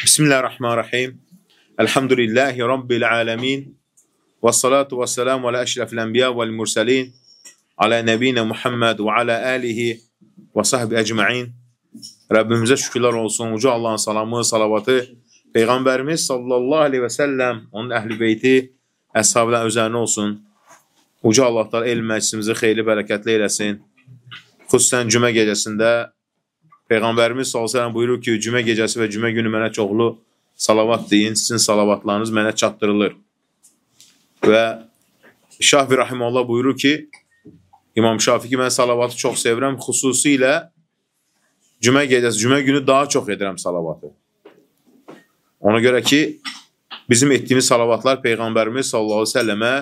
Bismillahirrahmanirrahim. Elhamdülillahi Rabbil alemin. Və salatu və selamu alə əşrəfil ənbiya vəl mürsəlin. Alə nəbiyinə Muhammed və alə əlihi və sahbi əcməin. Rəbbimizə şükürlər olsun. Uca Allahın salamı, salavatı Peyğəmbərimiz sallallahu aleyhi və səlləm, onun əhl-i beyti, əshabıdan özərinə olsun. Uca Allahlar elm məclisimizi xeyli bərəkətli eləsin. Xüsusən cümə gecəsində Peyğəmbərimiz sallallahu aleyhi və səlləm buyurur ki, cümə gecəsi və cümə günü mənə çoxlu salavat deyin, sizin salavatlarınız mənə çatdırılır. Və Şafi Rahimullah buyurur ki, İmam Şafi ki, mən salavatı çox sevirəm, xüsusilə cümə gecəsi, cümə günü daha çox edirəm salavatı. Ona görə ki, bizim etdiyimiz salavatlar Peyğəmbərimiz sallallahu aleyhi və səlləmə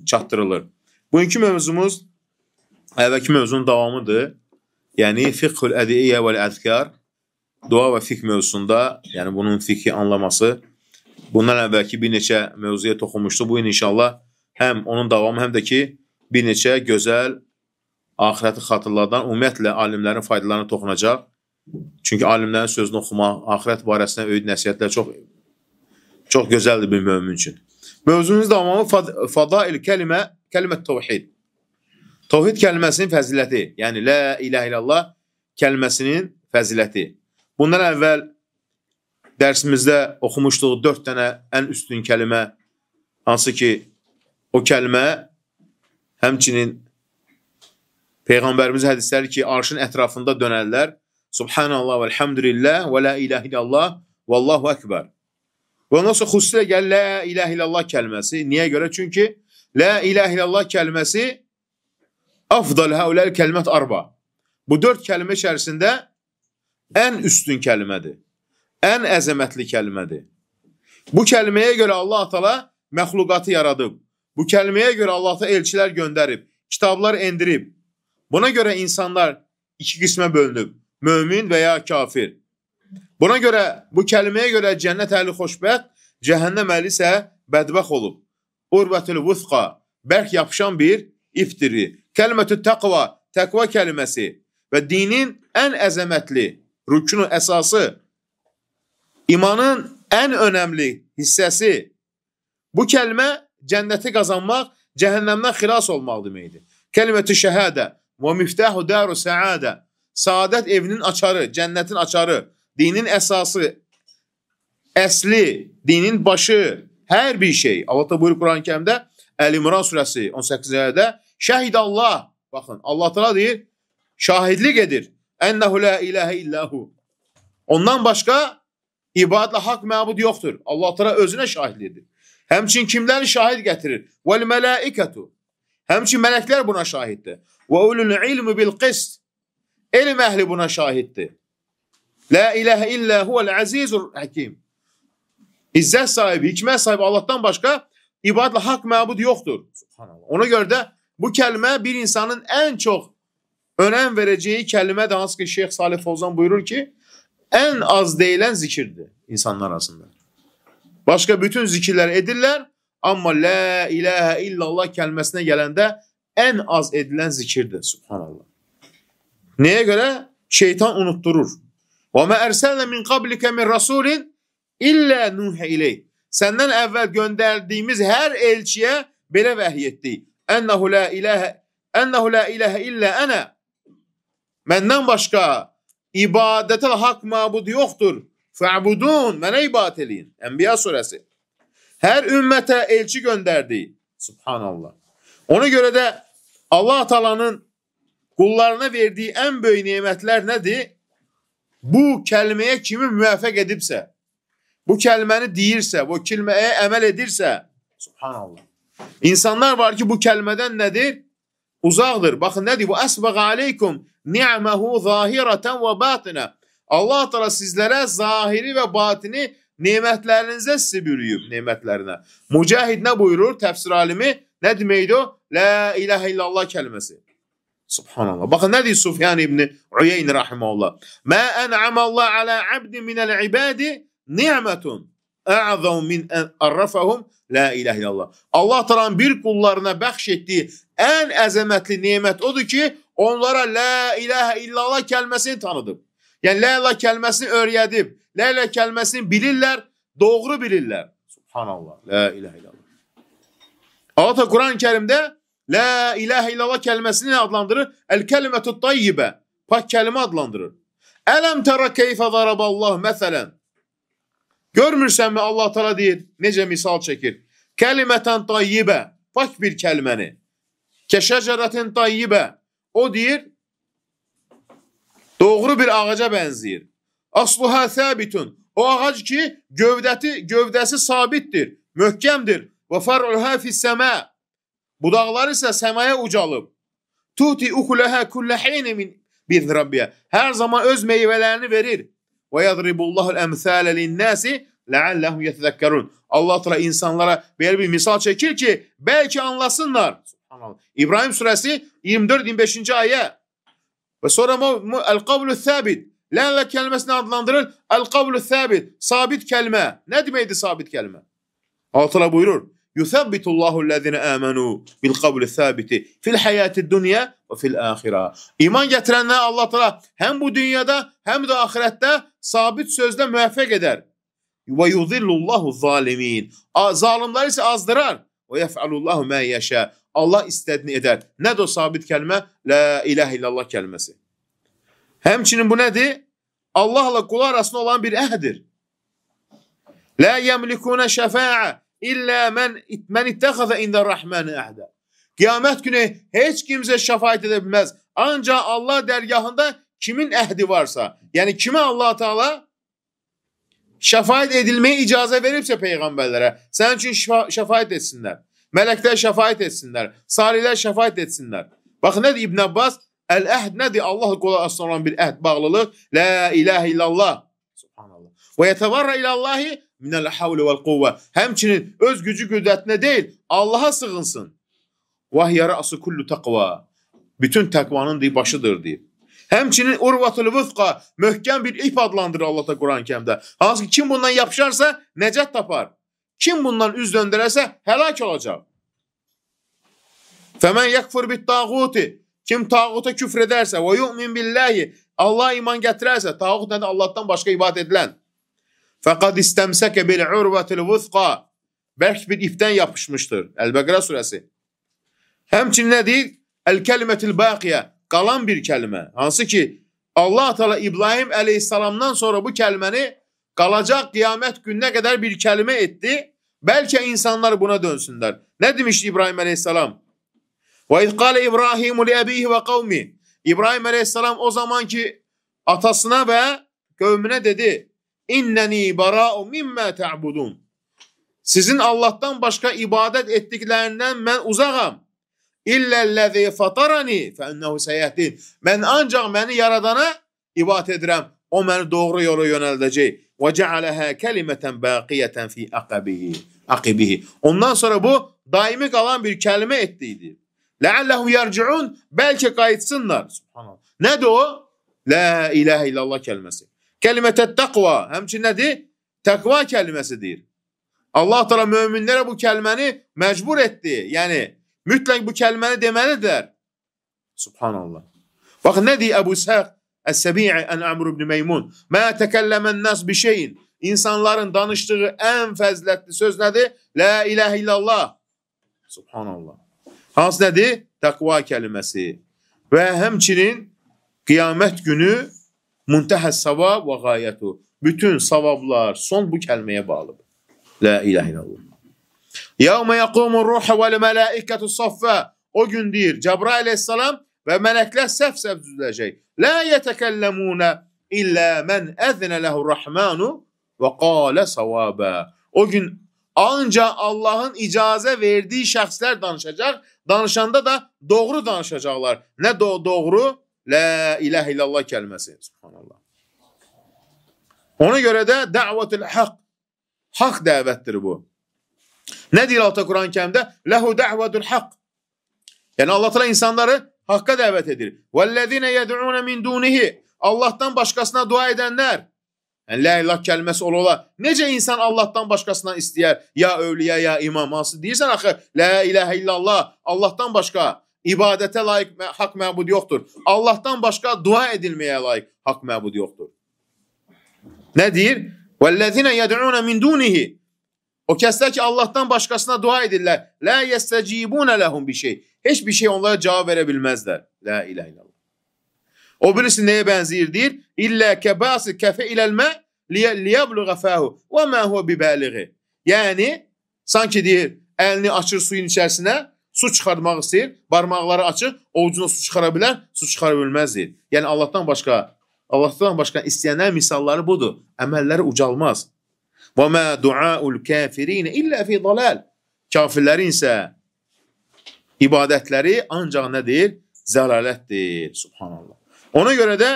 çatdırılır. Bugünkü mövzumuz əvvəlki mövzunun davamıdır. Yəni, fiqhül ədiyyə vəl-əzkar, dua və fiqh mövzusunda, yəni bunun fiqhi anlaması. Bundan əvvəlki bir neçə mövzuya toxunmuşdu. Bu gün inşallah həm onun davamı, həm də ki, bir neçə gözəl axirəti xatırlardan ümumiyyətlə alimlərin faydalarına toxunacaq. Çünki alimlərin sözünü oxumaq, axirət barəsində öyüd nəsiyyətlər çox gözəldir bir mömin üçün. Mövzumuz davamı fadail kəlimət təvhid. Təvhid kəlməsinin fəziləti, yəni la ilahə illallah kəlməsinin fəziləti. Bundan əvvəl dərsimizdə oxumuşduq 4 dənə ən üstün kəlmə, hansı ki, o kəlmə həmçinin Peyğəmbərimiz hədisləri ki, arşın ətrafında dönərlər. Subhanallah və elhamdülillah və la ilahə illallah və Allahu əkbər. Və ondan sonra xüsusilə gəlir la ilahə illallah kəlməsi. Niyə görə? Çünki la ilahə illallah kəlməsi afdal həuləl kəlmət arba. Bu 4 kəlmə içərisində ən üstün kəlmədir. Ən əzəmətli kəlmədir. Bu kəlməyə görə Allah Teala məxluqatı yaradıb. Bu kəlməyə görə Allah Teala elçilər göndərib, kitablar endirib. Buna görə insanlar 2 qismə bölünüb. Mömin və ya kafir. Buna görə, bu kəlməyə görə cənnət əhli xoşbəxt, cəhənnəm əhli isə bədbəxt olub. Urvətül vüthqa, bərk yapışan bir iptiri. Kəlmətü təqva, təqva kəlməsi və dinin ən əzəmətli, rükünün əsası, imanın ən önəmli hissəsi. Bu kəlmə cənnəti qazanmaq, cəhənnəmdən xilas olmaq deməkdir. Kəlmətü şəhədə və miftəhu daru səadə. Saadət evinin açarı, cənnətin açarı, dinin əsası, əsli, dinin başı, hər bir şey. Allah da buyurur Quran-ı Kərimdə, Əl-İmran surəsi 18-ci ayədə, şəhid Allah, baxın, Allah Teala deyir, şahidlik edir, ennəhu la ilahə illəhu. Ondan başqa ibadətlə haqq məbud yoxdur. Allah Teala özünə şahidlik edir. Həmçin kimləri şahid gətirir? Vəl-mələikətu. Həmçin mələklər buna şahiddir. Və ulul ilmi bil-qist. Elm əhli buna şahiddir. La ilahə illə huvəl-əzizul həkim. İzzət sahibi, hikmət sahibi Allahdan başqa ibadətlə haqq məbud yoxdur. Ona görə də bu kəlmə bir insanın ən çox önəm verəcəyi kəlmədir. Hansı ki, Şeyx Salih Fovzan buyurur ki, ən az deyilən zikirdir insanlar arasında. Başqa bütün zikirlər edirlər, amma la ilahə illallah kəlməsinə gələndə ən az edilən zikirdir. Subhanallah. Nəyə görə? Şeytan unutturur. Və mə ərsəlnə min qablikə min rasulin illə nuhə ileyh. Səndən əvvəl göndərdiyimiz hər elçiyə belə vəhiy etdik. Ənəhu la ilahə illə ənə. Məndən başqa ibadətə haqq məbud yoxdur. Fə'budun, mənə ibadət eləyin. Ənbiya surəsi. Hər ümmətə elçi göndərdi. Subhanallah. Ona görə də Allah Taala'nın qullarına verdiyi ən böyük nemətlər nədir? Bu kəlməyə kimi müvəffəq edibsə, bu kəlməni deyirsə, bu kəlməyə əməl edirsə, subhanallah. İnsanlar var ki, bu kəlmədən nədir? Uzaqdır. Baxın, nədir? Bu əsbəq aleykum ni'məhu zahirətən və batinə. Allah Teala sizlərə zahiri və batini nemətlərinizə sizi bürüyüb, nemətlərinə. Mücahid nə buyurur? Təfsir alimi nə deməkdir o? La ilahə illallah kəlməsi. Subhanallah. Baxın, nə deyir Sufyan ibn Uyeyni rahiməhullah? Mə ən'amallah alə abdi minəl ibadi ni'mətun ə'zəm min ən ərrəfəhum la ilahe illallah. Allah Taala'nın bir qullarına bəxş etdiyi ən əzəmətli nemət odur ki, onlara la ilahe illallah kəlməsini tanıdıb. Yəni la ilahe kəlməsini öyrədib, la ilahe kəlməsini bilirlər, doğru bilirlər. Subhanallah, la ilahe illallah. Allah Teala Kur'an-ı Kerim'de la ilahe illallah kəlməsini adlandırır? El-kelimetut tayyibə, pak kəlmə adlandırır. Ələm tərə keyfə zaraballahu məsələn. Görmürsənmi Allah Teala deyir, necə misal çəkir? Kəlimətən tayyibə, pak bir kəlməni. Kəşəcərətin tayyibə, o deyir, doğru bir ağaca bənzəyir. Asluha səbitun, o ağac ki, gövdəsi sabitdir, möhkəmdir. Və far'uha fis-səmə, budaqları isə səmaya ucalıb. Tuti ukulaha kullahine min bizrabbiya, hər zaman öz meyvələrini verir. Və yadribullahul əmsələ lin-nasi la'allahum yetezekkerun. Allah Teala insanlara belə bir misal çəkir ki, bəlkə anlasınlar. Subhanallah. İbrahim surəsi 24-25-ci ayə. Və sonra el-qavlu-səbit, la ilahe kəlməsini adlandırır. El-qavlu-səbit, sabit kəlmə. Nə deməkdir sabit kəlmə? Allah Teala buyurur: "Yusabbitullahu-llezine amenu bil-qavlu-səbiti fil-hayati-dunya və fil-axira." İman gətirənlər Allah Teala həm bu dünyada, həm də axirətdə sabit sözlə müvəffəq edər. Və yuzillullahu-zalimin. Zalimləri isə azdırar. Və yef'alullahu ma yasha. Allah istədiyini edər. Nədir o sabit kəlmə? La ilahe illallah kəlməsi. Həmçinin bu nədir? Allahla qul arasında olan bir əhdir. La yemlikuna şefa'a İllə mən ittəxəzə ində rəhməni əhdə. Qiyamət günü heç kimsə şəfaət edə bilməz. Ancaq Allah dərgahında kimin əhdi varsa, yəni kimə Allah Teala şəfaət edilməyə icazə veribsə peyğəmbərlərə, sənin üçün şəfaət etsinlər. Mələklər şəfaət etsinlər. Salihlər şəfaət etsinlər. Baxın, nədir İbn Abbas? Əl-əhd nədir? Allah qulu arasında olan bir əhd, bağlılıq. La ilahe illallah. Subhanallah. Və yətəvarra ilallahi minəl havli vəl quvvə. Həmçinin öz gücü qüdrətinə deyil, Allaha sığınsın. Vəhiyə rə'su kullu taqva. Bütün təqvanın başıdır deyir. Həmçinin urvatul vüzqa, möhkəm bir ip adlandırır Allah da Quran-ı Kərimdə. Hansı ki, kim bundan yapışarsa nəcət tapar. Kim bundan üz döndərərsə həlak olacaq. Fəmən yəkfur bit tağuti. Kim tağuta küfr edərsə və yu'min billahi, Allah iman gətirərsə, tağut nədir? Allahdan başqa ibadət edilən. Fəqad istəmsəkə bil urvatil vüzqa. Bərk bir ipdən yapışmışdır. Əl-Bəqərə surəsi. Həmçinin nə deyir? El-kəlimətil baqiyə. Qalan bir kəlmə. Hansı ki, Allah Teala İbrahim əleyhissalamdan sonra bu kəlməni qalacaq qiyamət gününə qədər bir kəlmə etdi. Bəlkə insanlar buna dönsünlər. Nə demişdi İbrahim əleyhissalam? Və izqalə İbrahimu li əbihi və qavmi. İbrahim əleyhissalam o zaman ki, atasına və qövmünə dedi: İnnəni bara'u mimmə ta'budun. Sizin Allah'tan başqa ibadət etdiklərindən mən uzağam. İlləl-ləzi fatarani fəənnəhu səyyəhdin. Mən ancaq məni yaradana ibadət edirəm. O məni doğru yola yönəldəcək. Və cəaləhə kəlimətən baqiyətən fi aqibihi. Ondan sonra bu daimi qalan bir kəlmə etdiydi. Ləalləhu yərciun. Bəlkə qayıtsınlar. Subhanallah. Nədir o? La ilahe illallah kəlməsi. Kəlimətət təqva. Həmçin nədir? Təqva kəlməsidir. Allah Teala möminlərə bu kəlməni məcbur etdi. Yəni, mütləq bu kəlməni deməlidir. Subhanallah. Baxın, nə deyir Əbu Səq Əs-Səbi'i ən Əmr ibn Meymun? Mə təkəlləmən nəs bir şeyin. İnsanların danışdığı ən fəzilətli söz nədir? La ilahe illallah. Subhanallah. Hansı nədir? Təqva kəlməsi. Və həmçinin qiyamət günü muntəhəs savab və qayətu. Bütün savablar son bu kəlməyə bağlıdır. La ilahe illallah. Yevme yakumur ruhu vel melaiketu saffa. O gün deyir Cəbrail aleyhissalam və mələklər səf-səf düzüləcək. La yetekellemune illa men əzinə lehu rahmanu və qalə savaba. O gün ancaq Allahın icazə verdiyi şəxslər danışacaq. Danışanda da doğru danışacaqlar. Nə doğru? La ilahe illallah kəlməsi. Subhanallah. Ona görə də dəvətul haqq. Haqq dəvətdir bu. Nə deyir Allah Quran-ı Kərimdə? Ləhu dəvətul haqq. Yəni Allah Teala insanları haqqa dəvət edir. Vəllezine yed'un min dunihi. Allahdan başqasına dua edənlər. Yəni, la ilah kəlməsi ola. Necə insan Allahdan başqasından istəyər? Ya övliya, ya imam, hansı? Deyirsən axı, la ilahə illallah, Allahdan başqa ibadətə layiq haqq məbud yoxdur. Allahdan başqa dua edilməyə layiq haqq məbud yoxdur. Nə deyir? وَالَّذِينَ يَدْعُونَ مِنْ دُونِهِ O kəslər ki, Allahdan başqasına dua edirlər. لَا يَسْتَجِيبُونَ لَهُمْ bir şey. Heç bir şey onlara cavab verə bilməzlər. La ilahe illallah. O birisi nəyə bənzəyir deyir? İllə kəbası kəfə iləlmə liyəbluğa fəhu və mə huvə bibəliği. Yəni, sanki deyir, əlini açır suyun içərisinə, su çıxartmaq istəyir, barmaqları açır, ovucuna su çıxara bilər, su çıxara bilməz deyir. Yəni, Allahdan başqa istəyənlər misalları budur. Əməlləri ucalmaz. Və mə duaul kafirin illə fi dalal. Kafirlərin isə ibadətləri ancaq nədir? Zəlalətdir. Subhanallah. Ona görə də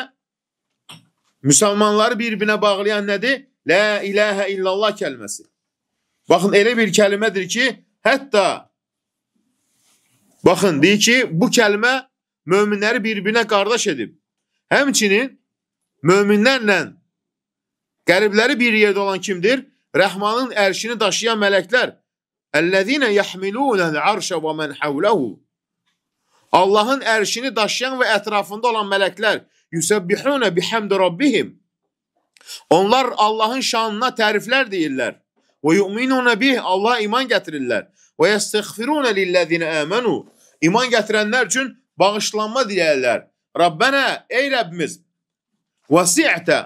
müsəlmanları bir-birinə bağlayan nədir? La ilahə illallah kəlməsi. Baxın, elə bir kəlmədir ki, hətta baxın, deyir ki, bu kəlmə möminləri bir-birinə qardaş edib. Həmçinin möminlərlə qəribləri bir yerdə olan kimdir? Rəhmanın ərşini daşıyan mələklər. Əl-ləzīnə yəhmilûnəl arşə və mən həvləhu. Allahın ərşini daşıyan və ətrafında olan mələklər yüsəbbihunə bihamdi rabbihim. Onlar Allahın şanına təriflər deyirlər. Və yu'minunə bih, Allah'a iman gətirirlər. Və yəstəğfirunə lilləzinə əmənu. İman gətirənlər üçün bağışlanma diləyirlər. Rabbənə, ey Rəbbimiz, vəsi'tə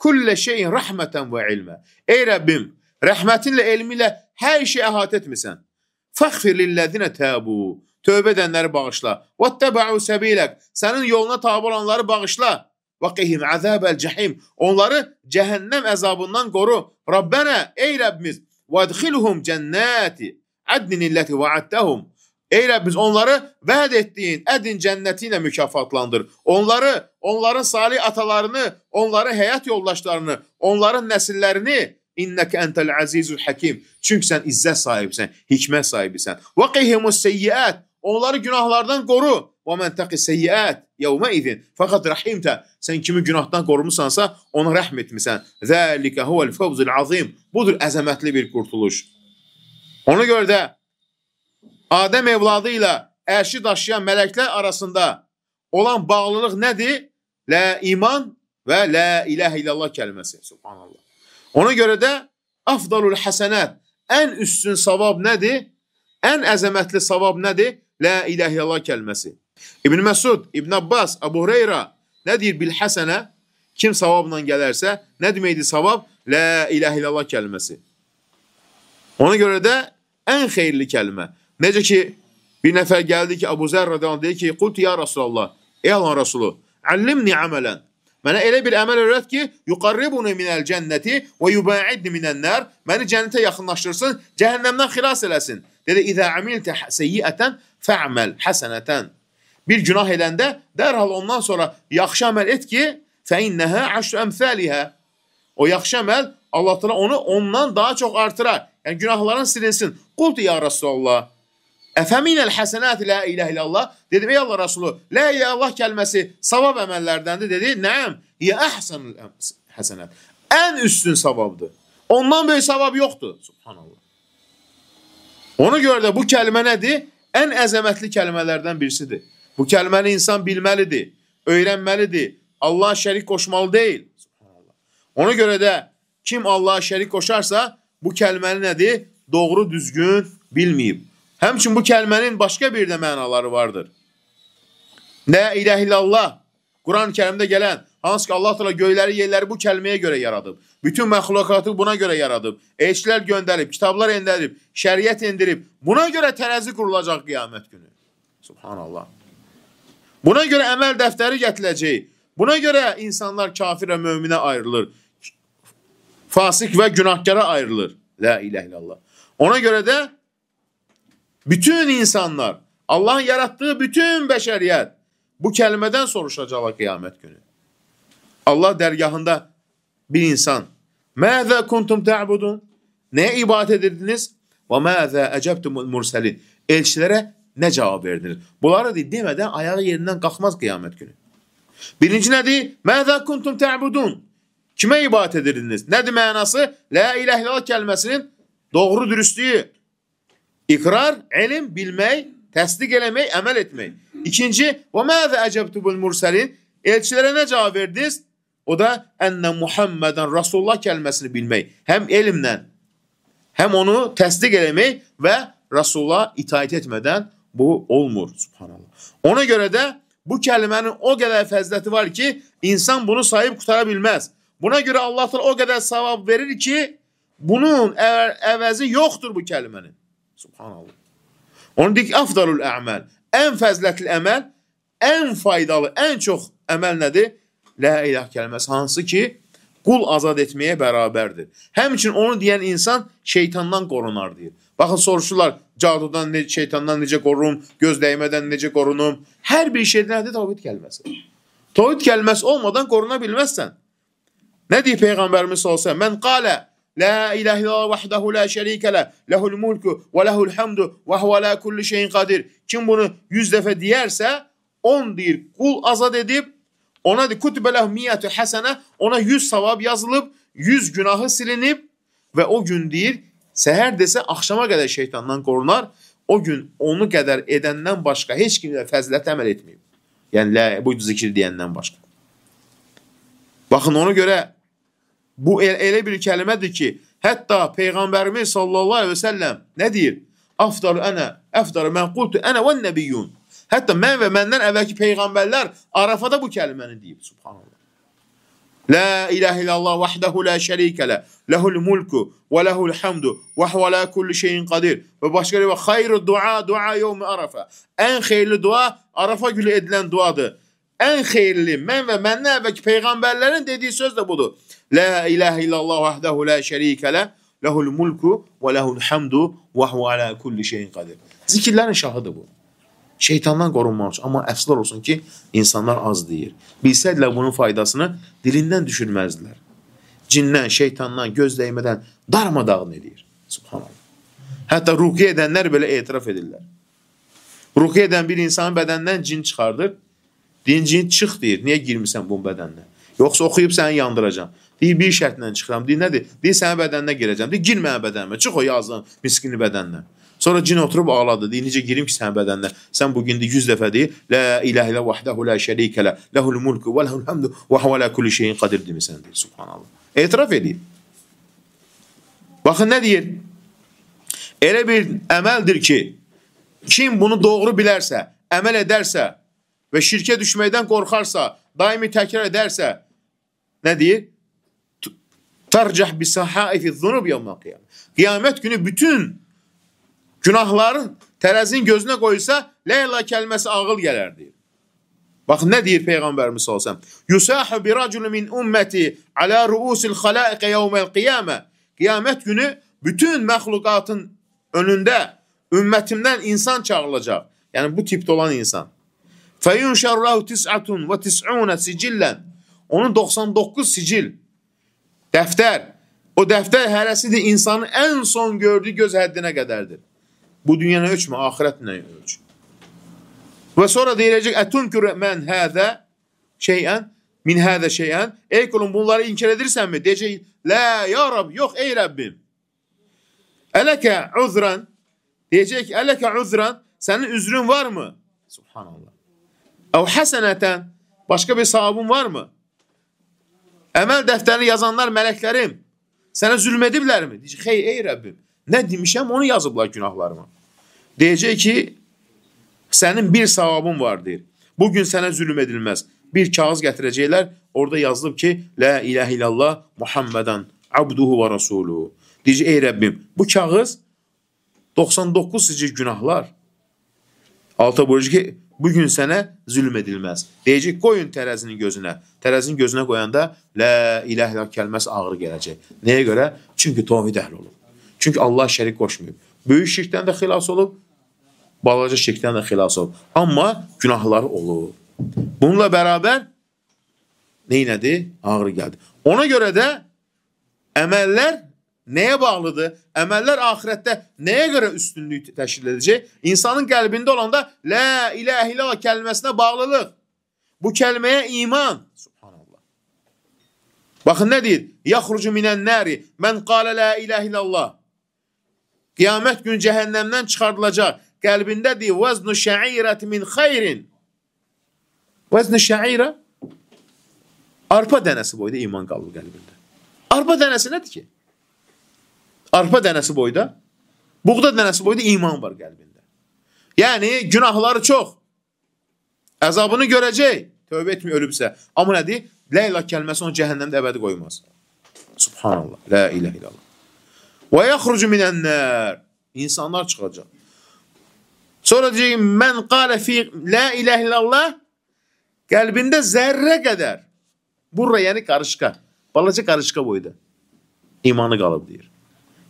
kullə şeyin rəhmətən və ilmə. Ey Rəbbim, rəhmətinlə, elmi ilə hər şey əhatə etmisən. Fəğfir lilləzinə təbu. Tövbə edənləri bağışla. وَاتَّبَعُوا سَبِيلَكَ Sənin yoluna tabi olanları bağışla. وَقِهِمْ عَذَابَ الْجَحِيمِ Onları cəhənnəm əzabından qoru. Rabbənə, ey Rəbbimiz, وَادْخِلُهُمْ جَنَّاتِ عَدْنٍ الَّتِ وَعَدْتَهُمْ Ey Rəbbimiz, onları vəd etdiyin ədin cənnəti ilə mükafatlandır. Onların salih atalarını, onların həyat yoldaşlarını, onların nəsillərini İnnəkə əntəl əzizul həkim. Çünki sən izzət sahibisən, hikmət sahibisən. وَقِهِمُ السَّيِّئَاتِ Onları günahlardan qoru. وَمَنْ تَقِ السَّيِّئَاتِ يَوْمَ اِذٍ Fəqat rəhimtə. Sən kimi günahdan qorumusansa, ona rəhm etmisən. ذَٰلِكَ هُوَ الْفَوْزُ الْعَظِيمِ Budur əzəmətli bir qurtuluş. Ona görə də Adəm evladı ilə ərşi daşıyan mələklər arasında olan bağlılıq nədir? La iman və la ilahə illallah kəlməsi. Subhanallah. Ona görə də afdalul həsənət, ən üstün savab nədir? Ən əzəmətli savab nədir? La ilahə illallah kəlməsi. İbn Məsud, İbn Abbas, Əbu Hüreyrə nə deyir bil həsənə? Kim savabla gələrsə, nə deməkdir savab? La ilahə illallah kəlməsi. Ona görə də ən xeyirli kəlmə. Necə ki, bir nəfər gəldi ki, Əbu Zər radiyallahu anh deyir ki, qultu ya Rasulallah, ey Allahın Rasulu, əllimni əmələn. Mənə elə bir əməl öyrət ki, yuqarribuni minəl cənnəti və yubaidni minən-nar. Məni cənnətə yaxınlaşdırsın, cəhənnəmdən xilas eləsin. Dedi, İzə amiltə seyyiətən fə'məl həsənətən. Bir günah edəndə dərhal ondan sonra yaxşı əməl et ki, fəinnəhə əşrü əmthəlihə. O yaxşı əməl Allah təala onu ondan daha çox artırar. Yəni günahların silinsin. Qultu ya Rasulallah. Əfəminəl həsənət la ilahə illallah. Dedim, ey Allah Rasulü, la illallah kəlməsi savab əməllərdəndir. Dedi, nəəm? Yə əhsənül həsənət. Ən üstün savabdır. Ondan böyük savab yoxdur. Subhanallah. Ona görə də bu kəlmə nədir? Ən əzəmətli kəlmələrdən birisidir. Bu kəlməni insan bilməlidir, öyrənməlidir. Allah'a şərik qoşmalı deyil. Subhanallah. Ona görə də kim Allah'a şərik qoşarsa, bu kəlməni nədir? Doğru, düzgün bilməyib. Həmçin bu kəlmənin başqa bir də mənaları vardır. La ilahə illallah, Quran-ı Kərimdə gələn, hansı ki Allah təala göyləri, yerləri bu kəlməyə görə yaradıb. Bütün məxluqatı buna görə yaradıb. Elçilər göndərib, kitablar endirib, şəriət endirib. Buna görə tərəzi qurulacaq qiyamət günü. Subhanallah. Buna görə əməl dəftəri gətiriləcək. Buna görə insanlar kafir və möminə ayrılır. Fasik və günahkara ayrılır. La ilahə illallah. Ona görə də bütün insanlar, Allahın yaratdığı bütün bəşəriyyət bu kəlmədən soruşacaqlar qiyamət günü. Allah dərgahında bir insan, Məzə kuntum tə'budun? Nəyə ibadət edirdiniz? Və məzə əcəbtumul mursəlin? Elçilərə nə cavab verdiniz? Bunları demədən ayağı yerindən qalxmaz qiyamət günü. Birinci nədir? Məzə kuntum tə'budun? Kimə ibadət edirdiniz? Nədir mənası? La ilahe illallah kəlməsinin doğru dürüstlüyü. İqrar, elm, bilmək, təsdiq eləmək, əməl etmək. İkinci, və məzə əcəbtubul mursəlin, elçilərə nə cavab verdiniz? O da ənə Muhammedən Rasulullah kəlməsini bilmək. Həm elmlə, həm onu təsdiq eləmək və Rasulullah itaət etmədən bu olmur. Subhanallah. Ona görə də bu kəlmənin o qədər fəziləti var ki, insan bunu sayıb qutara bilməz. Buna görə Allah o qədər savab verir ki, bunun əvəzi yoxdur bu kəlmənin. Subhanallah. Onu deyik, afdalul əməl. Ən fəzilətli əməl, ən faydalı, ən çox əməl nədir? La ilah kəlməsi, hansı ki, qul azad etməyə bərabərdir. Həmçin onu deyən insan şeytandan qorunar deyir. Baxın, soruşurlar, cadudan, şeytandan necə qorurum, göz dəymədən necə qorunum? Hər bir şeydə nədir? Tavhid kəlməsi. Tavhid kəlməsi olmadan qoruna bilməzsən. Nə deyir Peyğəmbərimiz sallallahu əleyhi və səlləm? Mən qalə la ilahe illallah vahdehu la şerike le, lehul mulku ve lehul hamdu ve huve ala kulli şeyin kadir. Kim bunu 100 dəfə deyərsə, 10 deyir, qul azad edib, ona deyir, kutube lehu miyyətü həsənə, ona 100 savab yazılıb, 100 günahı silinib və o gün deyir, səhər desə, axşama qədər şeytandan qorunar, o gün onu qədər edəndən başqa heç kimdə fəzilət əməl etməyib. Yəni, bu zikir deyəndən başqa. Baxın, ona görə bu elə bir kəlmədir ki, hətta Peyğəmbərimiz sallallahu aleyhi və səlləm nə deyir? Afdaru ənə, əfdaru mən qultu ənə və nəbiyyun. Hətta mən və məndən əvvəlki Peyğəmbərlər Arafada bu kəlməni deyib. Subhanallah. La ilahe illallah vahdehu la şerike le, lehul mulku ve lehul hamdu ve huve ala kulli şeyin kadir. Və başqa bir xeyru dua, dua yevmi Arafa. Ən xeyirli dua Arafa günü edilən duadır. Ən xeyirli, mən və məndən əvvəlki Peyğəmbərlərin dediyi söz də budur. La ilahe illallah vahdehu la şerike le, lehul mulku ve lehul hamdu ve huve ala kulli şeyin kadir. Zikirlərin şahıdır bu. Şeytandan qorunmaq üçün. Amma əfslər olsun ki, insanlar az deyir. Bilsədilər bunun faydasını dilindən düşürməzdilər. Cindən, şeytandan, göz dəymədən darmadağın edir. Subhanallah. Hətta ruqiyyə edənlər belə etiraf edirlər. Ruqiyyə edən bir insanın bədəndən cin çıxardır. Deyin, cin çıx deyir. Niyə girmirsən bunun bədəninə? Yoxsa oxuyub səni yandıracam. Deyir, bir şərtlə çıxıram. Deyir, nədir? Deyir, sənin bədəninə girəcəm. Deyir, girmə bədənimə. Çıx o yazın miskini bədəninə. Sonra cin oturub ağladı. Deyir, necə girim ki sənin bədəninə? Sən bugün 100 dəfə deyir, la ilahe illallah vahdehu la şerike le, lehul mulku ve lehul hamdu ve huve ala kulli şeyin kadir demirsən deyir. Subhanallah. Etiraf edir. Baxın nə deyir? Elə bir əməldir ki, kim bunu doğru bilərsə, əməl edərsə və şirkə düşməkdən qorxarsa, daimi təkrar edərsə, nə deyir? Tərcəh bisahaifi zunub yevmə qiyamət. Qiyamət günü bütün günahların tərəzinin gözünə qoysa, la ilahe kəlməsi ağıl gələr deyir. Baxın, nə deyir Peyğəmbərimiz sallallahu əleyhi və səlləm? Yusahu bi racul min ummati ala ruusil xalaiq yevmel qiyamə. Qiyamət günü bütün məxluqatın önündə ümmətimdən insan çağırılacaq. Yəni bu tipdə olan insan. Feyunşarrahu 99 sicillan. Onun 99 sicil dəftər. O dəftər hərəsidir insanın ən son gördüyü göz həddinə qədərdir. Bu dünyanı ölçmə, ahirətlə ölç. Və sonra deyiləcək, ətunkür mən hədə şeyən, min hədə şeyən, ey kulum bunları inkar edirsənmi? Deyəcək, la, ya Rab, yox, ey Rəbbim. Ələkə uzran, deyəcək ki, ələkə uzran, sənin üzrün varmı? Subhanallah. Əv həsənətən, başqa bir savabın varmı? Əməl dəftərini yazanlar mələklərim, sənə zülm ediblərmi? Deyəcək, xey, ey Rəbbim, nə demişəm, onu yazıblar günahlarıma. Deyəcək ki, sənin bir savabın var, deyir. Bugün sənə zülm edilməz. Bir kağız gətirəcəklər, orada yazılıb ki, la ilahe illallah Muhammedan abduhu və rasuluhu. Deyəcək, ey Rəbbim, bu kağız 99 sicil günahlar. Alta buyuracaq ki, bugün sənə zülm edilməz. Deyəcək, qoyun tərəzinin gözünə. Tərəzinin gözünə qoyanda la ilahe illallah kəlməsi ağır gələcək. Nəyə görə? Çünki tavhid əhli olub. Çünki Allah şərik qoşmayıb. Böyük şirkdən də xilas olub, balaca şirkdən də xilas olub. Amma günahları olub. Bununla bərabər neynədir? Ağır gəldi. Ona görə də əməllər nəyə bağlıdır? Əməllər axirətdə nəyə görə üstünlük təşkil edəcək? İnsanın qəlbində olanda la ilahe illallah kəlməsinə bağlılıq. Bu kəlməyə iman. Subhanallah. Baxın nə deyir? Yaxrucu minən nəri mən qalə la ilahe illallah. Qiyamət günü cəhənnəmdən çıxardılacaq. Qəlbində deyir, vəznu şəirəti min xeyrin. Vəznu şəirə arpa dənəsi boyda iman qalır qəlbində. Arpa dənəsi nədir ki? Arpa dənəsi boyda, buğda dənəsi boyda iman var qəlbində. Yəni, günahları çox. Əzabını görəcək. Tövbə etmir, ölübsə. Amma nədir? La ilah kəlməsi onu cəhənnəmdə əbədi qoymaz. Subhanallah. La ilah illallah. Və yaxrucu minən-nər. İnsanlar çıxacaq. Sonra deyəcək, mən qalə fi la ilah illallah. Qəlbində zərrə qədər. Burra, yəni qarışqa. Balaca qarışqa boyda. İmanı qalıb, deyir.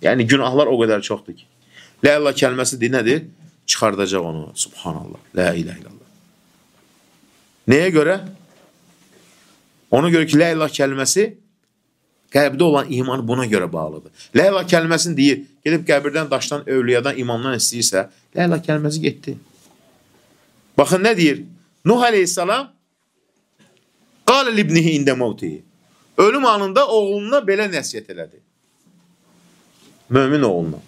Yəni, günahlar o qədər çoxdur ki. La ilah kəlməsi deyir, nədir? Çıxardacaq onu. Subhanallah. La ilah illallah. Nəyə görə? Ona görə ki, la ilah kəlməsi qəlbdə olan iman buna görə bağlıdır. La ilah kəlməsini deyir, gedib qəbirdən, daşdan, övliyadan, imamdan istəyirsə, la ilah kəlməsi getdi. Baxın, nə deyir? Nuh aleyhissalam qalə libnihi ində mevtihi. Ölüm anında oğluna belə nəsiyyət elədi. Mömin oğluna.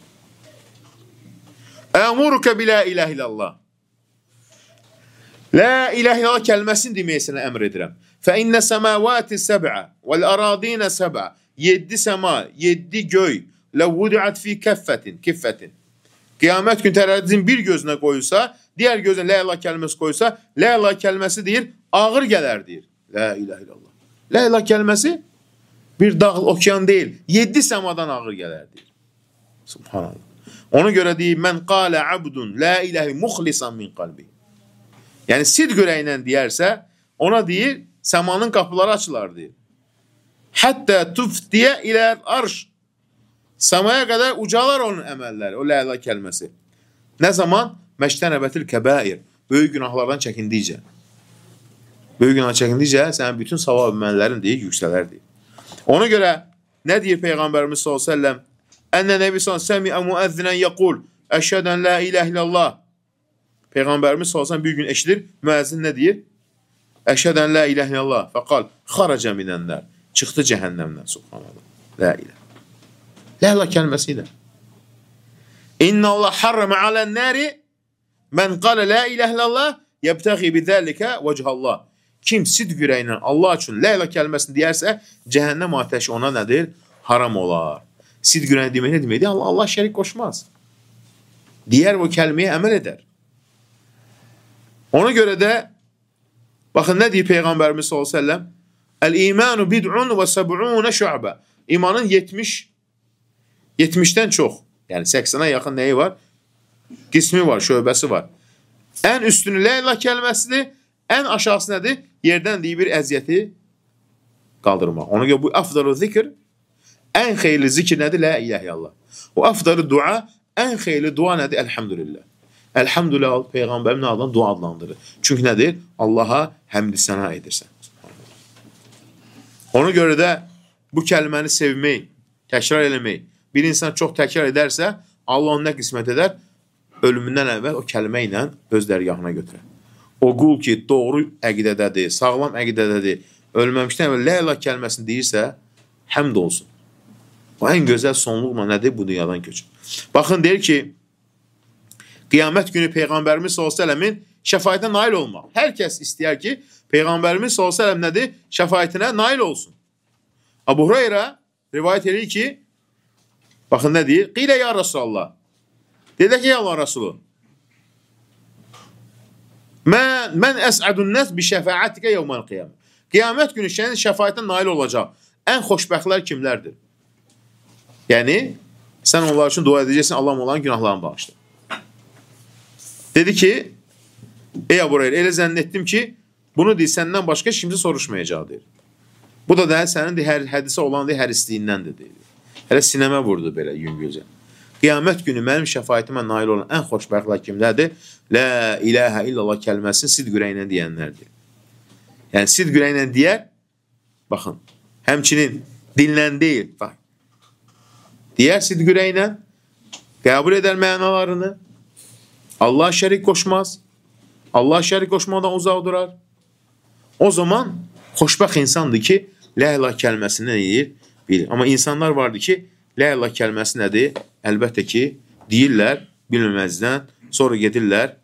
Əmuruka bi la ilah illallah. La ilah illallah kəlməsini deməyə sənə əmr edirəm. فَإِنَّ سَمَاوَاتِ السَّبْعَ وَالْأَرَاضِينَ سَبْعَ 7 səma, 7 göy لَوُّدِعَتْ فِي كِفَّةٍ Qiyamət gün tərəddüdün bir gözünə qoyulsa, digər gözünə la ilah kəlməsi qoyulsa, la ilah kəlməsi deyir, ağır gələr deyir. La ilah illallah. La ilah kəlməsi bir dağ, okyan deyil, 7 səmadan ağır gələr deyir. Subhanallah. Ona görə deyir, mən qalə abdun la ilahi muxlisan min qalbi. Yəni, sidq ürəyindən deyərsə, ona deyir, səmanın qapıları açılar, deyir. Həttə tuftiyə ilə arş. Səmaya qədər ucalar onun əməlləri, o la ilah kəlməsi. Nə zaman? Məştənəbətil kəbair. Böyük günahlardan çəkindikcə. Böyük günah çəkindikcə, sənin bütün savab əməllərin deyir, yüksələr, deyir. Ona görə, nə deyir Peyğəmbərimiz s.ə.v? Ənə nəbi s.ə.v müəzzinən yəqul, əşhədən la ilah illallah. Peyğəmbərimiz s.ə.v bir gün eşidir, müəzzin nə deyir? Əşhədən la ilah illallah. Fəqal, xaracə minənlər. Çıxdı cəhənnəmdən, subhanallah. La ilah. La ilah kəlməsi ilə. İnna Allah harrama alən nəri mən qalə la ilah illallah yəbtəği bidəlikə vəcihallah. Kim sidq ürəyinlə Allah üçün la ilah kəlməsini deyərsə, cəhənnəm atəşi ona nədir? Haram olar. Sidq ürəyinlə demək nə deməkdir? Allah şərik qoşmaz. Deyər o kəlməyə əməl edər. Ona görə də baxın, nə deyir Peyğəmbərimiz s.ə.v? Əl-imanu bid'un və səb'unə şu'bə. İmanın 70-dən çox, yəni 80-ə yaxın nəyi var? Qismi var, şöbəsi var. Ən üstünü la ilah kəlməsidir, ən aşağısı nədir? Yerdən deyir bir əziyyəti qaldırmaq. Ona görə bu afdalı zikr, ən xeyirli zikr nədir? La ilahe illallah. O afdalı dua, ən xeyirli dua nədir? Elhamdülillah. Elhamdülillah Peyğəmbərin adından dua adlandırır. Çünki nədir? Allaha həmd səna edirsən. Ona görə də bu kəlməni sevmək, təkrar eləmək, bir insan çox təkrar edərsə, Allah onu nə qismət edər? Ölümündən əvvəl o kəlmə ilə öz dərgahına götürər. O qul ki, doğru əqidədədir, sağlam əqidədədir, ölməmişdən əvvəl la ilah kəlməsini deyirsə, həmd olsun. O ən gözəl sonluqla nədir? Bu dünyadan köçür. Baxın, deyir ki, Qiyamət günü Peyğəmbərimiz s.ə.v-in şəfayətinə nail olmaq. Hər kəs istəyər ki, Peyğəmbərimiz s.ə.v nədir? Şəfayətinə nail olsun. Abu Hurayra rivayət edir ki, baxın nə deyir? Qilə ya Rasulallah. Dedik ki, ya Allah Rasulü. Mən əsədun nəs bi şəfayətikə yevməl qiyamə. Qiyamət günü sənin şəfayətinə nail olacaq. Ən xoşbəxtlər kimlərdir? Yəni, sən onlar üçün dua edəcəksin, Allah onların günahlarını bağışlar. Dedi ki, ey Abu Hurayra, elə zənn etdim ki, bunu deyir, səndən başqa kimsə soruşmayacaq, deyir. Bu da sənin hədisə olan hər istiyindəndir, deyir. Hələ sinəmə vurdu belə yüngülcə. Qiyamət günü mənim şəfayətimə nail olan ən xoşbəxtlər kimlərdir? La ilahə illallah kəlməsini sidq ürəyinlə deyənlərdir. Yəni, sidq ürəyinlə deyər, baxın, həmçinin dinlən deyil, bax. Deyər sidq ürəyinlə, qəbul edər mənalarını, Allah şərik qoşmaz, Allah şərik qoşmadan uzaq durar. O zaman xoşbəxt insandır ki, la ilah kəlməsini nə deyir? Bilir. Amma insanlar vardır ki, la ilah kəlməsi nədir? Əlbəttə ki, deyirlər, bilməməzdən, sonra gedirlər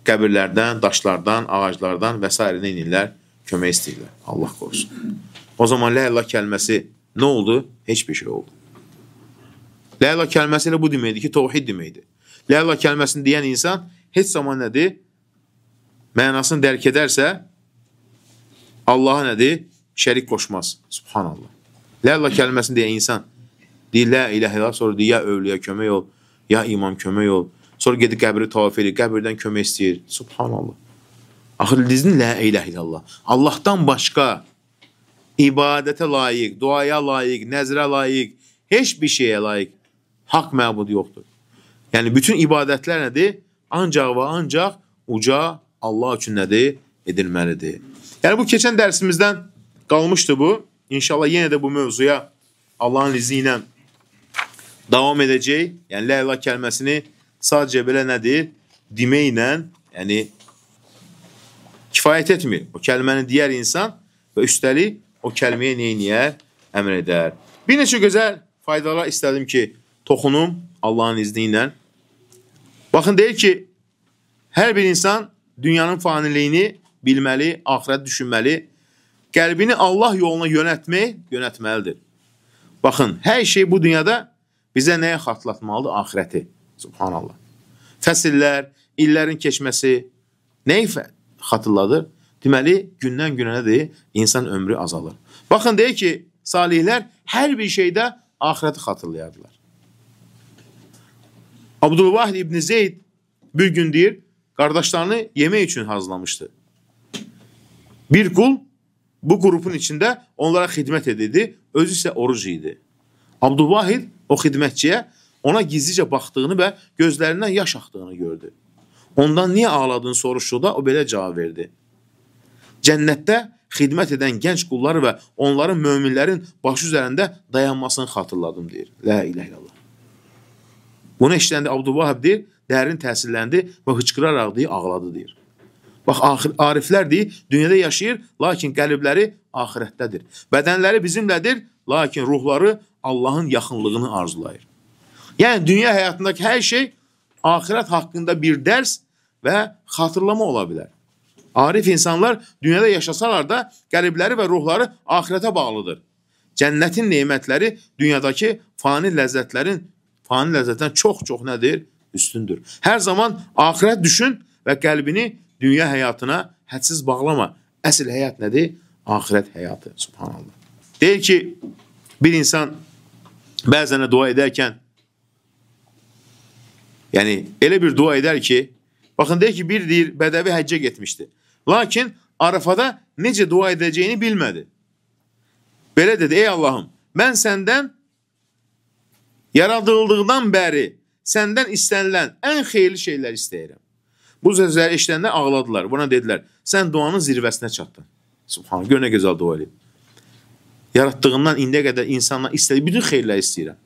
qəbirlərdən, daşlardan, ağaclardan və s. nə inirlər? Kömək istəyirlər. Allah qorusun. O zaman la ilah kəlməsi nə oldu? Heç bir şey oldu. La ilah kəlməsi ilə bu deməkdir ki, tevhid deməkdir. La ilah kəlməsini deyən insan heç zaman nədir? Mənasını dərk edərsə, Allaha nədir? Şərik qoşmaz. Subhanallah. La ilah kəlməsini deyən insan deyir, la ilahe illallah, sonra deyir, ya övliya kömək ol, ya imam kömək ol. Sonra gedir qəbri tavaf edir, qəbirdən kömək istəyir. Subhanallah. Axır dizini la ilahe illallah. Allahdan başqa ibadətə layiq, duaya layiq, nəzrə layiq, heç bir şeyə layiq haqq məbud yoxdur. Yəni, bütün ibadətlər nədir? Ancaq və ancaq uca Allah üçün nədir? Edilməlidir. Yəni, bu keçən dərsimizdən qalmışdı bu. İnşallah yenə də bu mövzuya Allahın izni ilə davam edəcək. Yəni, la ilah kəlməsini sadəcə belə nədir? Deməklə, yəni, kifayət etmir. O kəlməni deyər insan və üstəlik o kəlməyə neyniyər? Əmr edər. Bir neçə gözəl faydalar istədim ki, toxunum Allahın izni ilə. Baxın, deyir ki, hər bir insan dünyanın faniliyini bilməli, axirət düşünməli, qəlbini Allah yoluna yönətməlidir. Baxın, hər şey bu dünyada bizə nəyə xatırlatmalıdır? Axirəti. Subhanallah. Fəsillər, illərin keçməsi nəyi xatırladır? Deməli, gündən günə nədir? İnsan ömrü azalır. Baxın, deyir ki, salihlər hər bir şeydə axirəti xatırlayardılar. Abdülvahid İbn Zeyd bir gün deyir, qardaşlarını yemək üçün hazırlamışdı. Bir qul bu qrupun içində onlara xidmət edirdi, özü isə oruc idi. Abdülvahid o xidmətçiyə ona gizlicə baxdığını və gözlərindən yaş axdığını gördü. Ondan niyə ağladığını soruşduqda o belə cavab verdi. Cənnətdə xidmət edən gənc qulları və onların möminlərin başı üzərində dayanmasını xatırladım, deyir. La ilahe illallah. Bunu eşitəndə Abdülvahid deyir, dərin təsirləndi və hıçqıraraq deyir, ağladı, deyir. Bax, ariflər deyir, dünyada yaşayır, lakin qəlbləri axirətdədir. Bədənləri bizimlədir, lakin ruhları Allahın yaxınlığını arzulayır. Yəni, dünya həyatındakı hər şey axirət haqqında bir dərs və xatırlama ola bilər. Arif insanlar dünyada yaşasalar da qəlbləri və ruhları axirətə bağlıdır. Cənnətin nemətləri dünyadakı fani ləzzətdən çox-çox nədir? Üstündür. Hər zaman axirət düşün və qəlbini dünya həyatına hədsiz bağlama. Əsl həyat nədir? Axirət həyatı. Subhanallah. Deyir ki, bir insan bəzənə dua edərkən, yəni elə bir dua edər ki, baxın, deyir ki, bir deyir, bədəvi həccə getmişdi. Lakin Arafada necə dua edəcəyini bilmədi. Belə dedi, ey Allahım, mən səndən yaradıldığından bəri səndən istənilən ən xeyirli şeylər istəyirəm. Bu sözləri eşidəndə ağladılar. Buna dedilər, sən duanın zirvəsinə çatdın. Subhanallah, gör nə gözəl dua edin. Yaratdığından indiyə qədər insandan istədiyi bütün xeyirləri istəyirəm.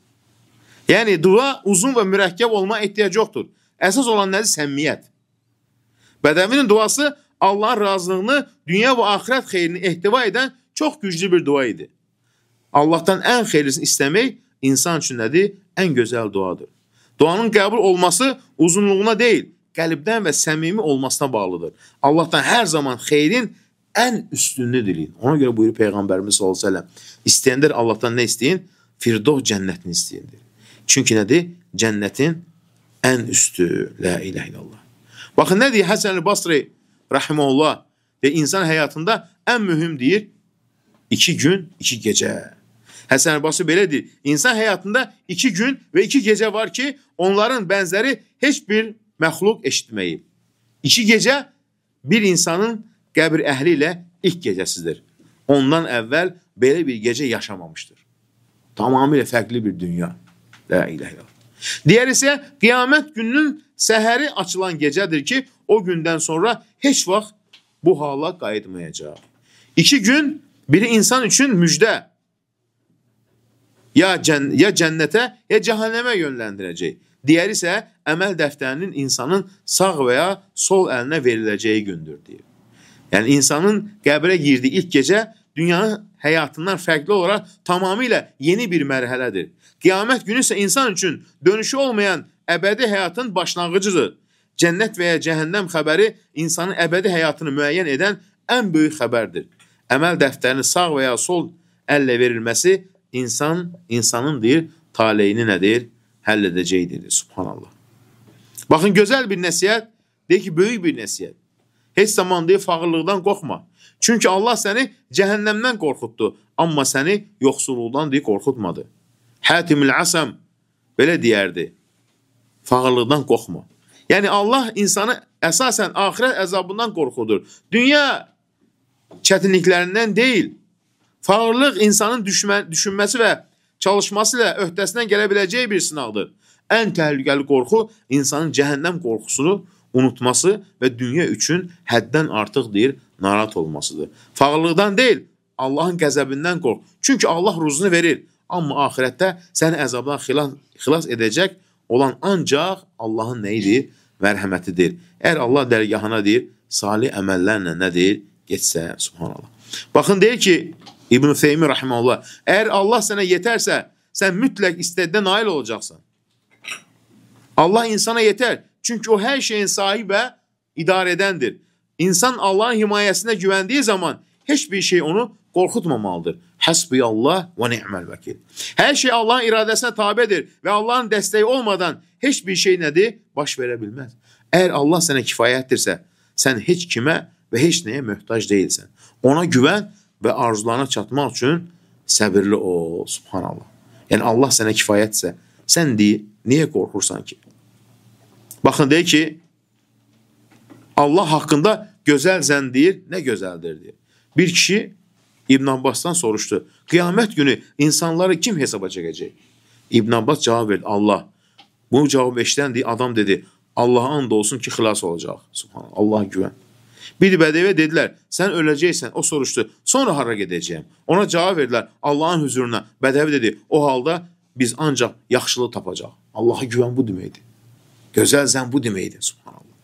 Yəni, dua uzun və mürəkkəb olma ehtiyac yoxdur. Əsas olan nədir? Səmmiyyət. Bədəvinin duası Allahın razılığını, dünya və axirət xeyrini ehtiva edən çox güclü bir dua idi. Allahdan ən xeyirlisini istəmək insan üçün nədir? Ən gözəl duadır. Duanın qəbul olması uzunluğuna deyil, qəlbdən və səmimi olmasına bağlıdır. Allahdan hər zaman xeyrin ən üstünlüğünü diləyin. Ona görə buyurur Peyğəmbərimiz sallallahu əleyhi və səlləm, istəyənlər Allahdan nə istəyin? Firdevs cənnətini istəyindir. Çünki nədir? Cənnətin ən üstü. La ilahe illallah. Baxın, nə deyir Həsən el-Basri rahimehullah? İnsan həyatında ən mühüm deyir, 2 gün, 2 gecə. Həsən el-Basri belə deyir, insan həyatında 2 gün və 2 gecə var ki, onların bənzəri heç bir məxluq eşitməyib. 2 gecə bir insanın qəbir əhli ilə ilk gecəsidir. Ondan əvvəl belə bir gecə yaşamamışdır. Tamamilə fərqli bir dünya. La ilahe illallah. Digər isə qiyamət gününün səhəri açılan gecədir ki, o gündən sonra heç vaxt bu hala qayıtmayacaq. 2 gün biri insan üçün müjdə, ya cənnətə, ya cəhənnəmə yönləndirəcək. Digər isə əməl dəftərinin insanın sağ və ya sol əlinə veriləcəyi gündür, deyir. Yəni, insanın qəbrə girdiyi ilk gecə dünyanın həyatından fərqli olaraq tamamilə yeni bir mərhələdir. Qiyamət günü isə insan üçün dönüşü olmayan əbədi həyatın başlanğıcıdır. Cənnət və ya cəhənnəm xəbəri insanın əbədi həyatını müəyyən edən ən böyük xəbərdir. Əməl dəftərinin sağ və ya sol əllə verilməsi insanın deyir, taleyini nədir? Həll edəcəkdir. Subhanallah. Baxın, gözəl bir nəsiyyət, deyir ki, böyük bir nəsiyyət. Heç zaman deyir, fağırlıqdan qorxma. Çünki Allah səni cəhənnəmdən qorxutdu, amma səni yoxsulluqdan deyir, qorxutmadı. Hətimül Əsəm belə deyərdi, fağırlıqdan qorxma. Yəni Allah insanı əsasən axirət əzabından qorxudur. Dünya çətinliklərindən deyil. Fağırlıq insanın düşünməsi və çalışması ilə öhdəsindən gələ biləcəyi bir sınaqdır. Ən təhlükəli qorxu insanın cəhənnəm qorxusunu unutması və dünya üçün həddən artıq deyir, narahat olmasıdır. Fağırlıqdan deyil, Allahın qəzəbindən qorx. Çünki Allah ruzunu verir. Amma axirətdə səni əzabdan xilas edəcək olan ancaq Allahın nəyidir? Mərhəmətidir. Əgər Allah dərgahına deyir, salih əməllərlə nədir? Geçsə, subhanallah. Baxın, deyir ki, İbn-i Feymi rahiməhullah, əgər Allah sənə yetərsə, sən mütləq istədiyə nail olacaqsan. Allah insana yetər. Çünki o hər şeyin sahibi və idarə edəndir. İnsan Allahın himayəsinə güvəndiyi zaman heç bir şey onu qorxutmamalıdır. Həsbiyallah və ni'məl vəkil. Hər şey Allahın iradəsinə tabedir və Allahın dəstəyi olmadan heç bir şey nədir? Baş verə bilməz. Əgər Allah sənə kifayətdirsə, sən heç kimə və heç nəyə möhtac deyilsən. Ona güvən və arzularına çatmaq üçün səbirli ol. Subhanallah. Yəni Allah sənə kifayətsə, sən deyir, niyə qorxursan ki? Baxın, deyir ki, Allah haqqında gözəl zənn deyir, nə gözəldir deyir. Bir kişi İbn Abbasdan soruşdu, qiyamət günü insanları kim hesaba çəkəcək? İbn Abbas cavab verdi, Allah. Bu cavab eşidən adam dedi, Allah'a and olsun ki, xilas olacaq. Subhanallah, Allah'a güvən. Bir bədəvə dedilər, sən öləcəksən. O soruşdu, sonra hara gedəcəyəm? Ona cavab verdilər, Allahın huzuruna. Bədəvə dedi, o halda biz ancaq yaxşılığı tapacaq. Allah'a güvən bu deməkdir. Gözəl zənn bu deməkdir. Subhanallah.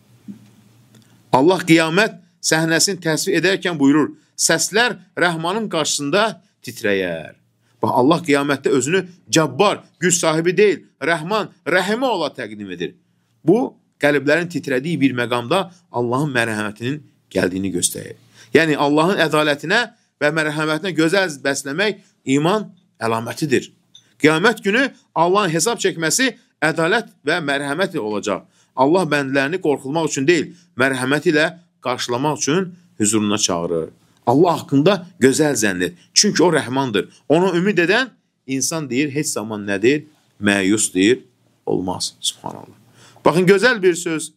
Allah qiyamət səhnəsini təsvir edərkən buyurur, səslər Rəhmanın qarşısında titrəyər. Bax, Allah qiyamətdə özünü cəbbar, güc sahibi deyil, Rəhman, rəhimə ola təqdim edir. Bu, qəlblərin titrədiyi bir məqamda Allahın mərhəmətinin gəldiyini göstərir. Yəni, Allahın ədalətinə və mərhəmətinə gözəl bəsləmək iman əlamətidir. Qiyamət günü Allahın hesab çəkməsi ədalət və mərhəmət olacaq. Allah bəndlərini qorxulmaq üçün deyil, mərhəmət ilə qarşılamaq üçün huzuruna çağırır. Allah haqqında gözəl zənn et. Çünki o rəhmandır. Ona ümid edən insan deyir, heç zaman nədir? Məyus deyir, olmaz. Subhanallah. Baxın, gözəl bir söz.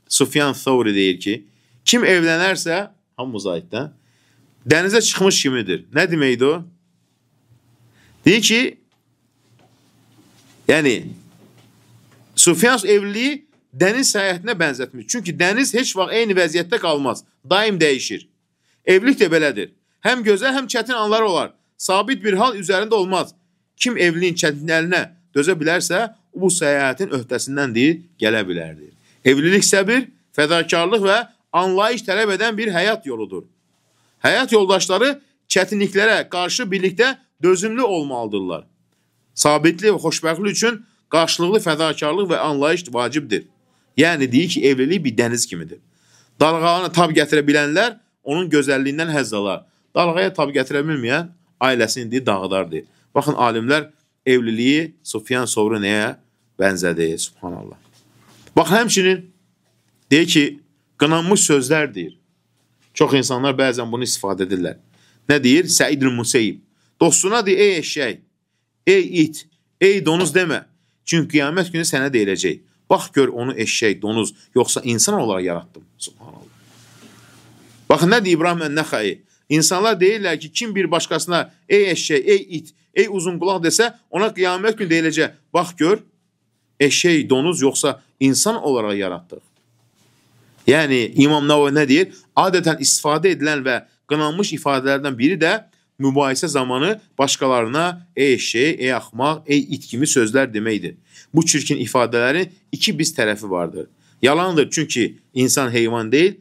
Sufyan Thawri deyir ki, kim evlənərsə, hamımız aiddən, dənizə çıxmış kimidir. Nə deməkdir o? Deyir ki, yəni, Sufyan evliliyi dəniz səyahətinə bənzətmiş. Çünki dəniz heç vaxt eyni vəziyyətdə qalmaz. Daim dəyişir. Evlilik də belədir. Həm gözəl, həm çətin anlar olar. Sabit bir hal üzərində olmaz. Kim evliliyin çətinlərinə dözə bilərsə, bu səyahətin öhdəsindən deyir, gələ bilərdir. Evlilik səbir, fədakarlıq və anlayış tələb edən bir həyat yoludur. Həyat yoldaşları çətinliklərə qarşı birlikdə dözümlü olmalıdırlar. Sabitlik və xoşbəxtlik üçün qarşılıqlı fədakarlıq və anlayış vacibdir. Yəni, deyir ki, evlilik bir dəniz kimidir. Dalğalarına tab gətirə bilənlər onun gözəlliyindən həzz alar. Dalğaya tab gətirə bilməyən ailəsini deyir, dağıdar deyir. Baxın, alimlər evliliyi Sufyan Thawri nəyə bənzədir? Subhanallah. Baxın, həmçinin deyir ki, qınanmış sözlər deyir. Çox insanlar bəzən bunu istifadə edirlər. Nə deyir? Səid-ül Museyyib. Dostuna deyir, ey eşşək, ey it, ey donuz demə. Çünki qiyamət günü sənə deyiləcək. Bax, gör onu eşşək, donuz, yoxsa insan olaraq yaratdım. Subhanallah. Baxın, nə deyir İbrahim Ən-Nəxai? İnsanlar deyirlər ki, kim bir başqasına ey eşşək, ey it, ey uzun qulaq desə, ona qiyamət günü deyiləcək. Bax, gör, eşşək, donuz, yoxsa insan olaraq yaratdıq. Yəni, İmam Nəvavi nə deyir? Adətən istifadə edilən və qınanmış ifadələrdən biri də mübahisə zamanı başqalarına ey eşşək, ey axmaq, ey it kimi sözlər deməkdir. Bu çirkin ifadələrin iki biz tərəfi vardır. Yalandır, çünki insan heyvan deyil,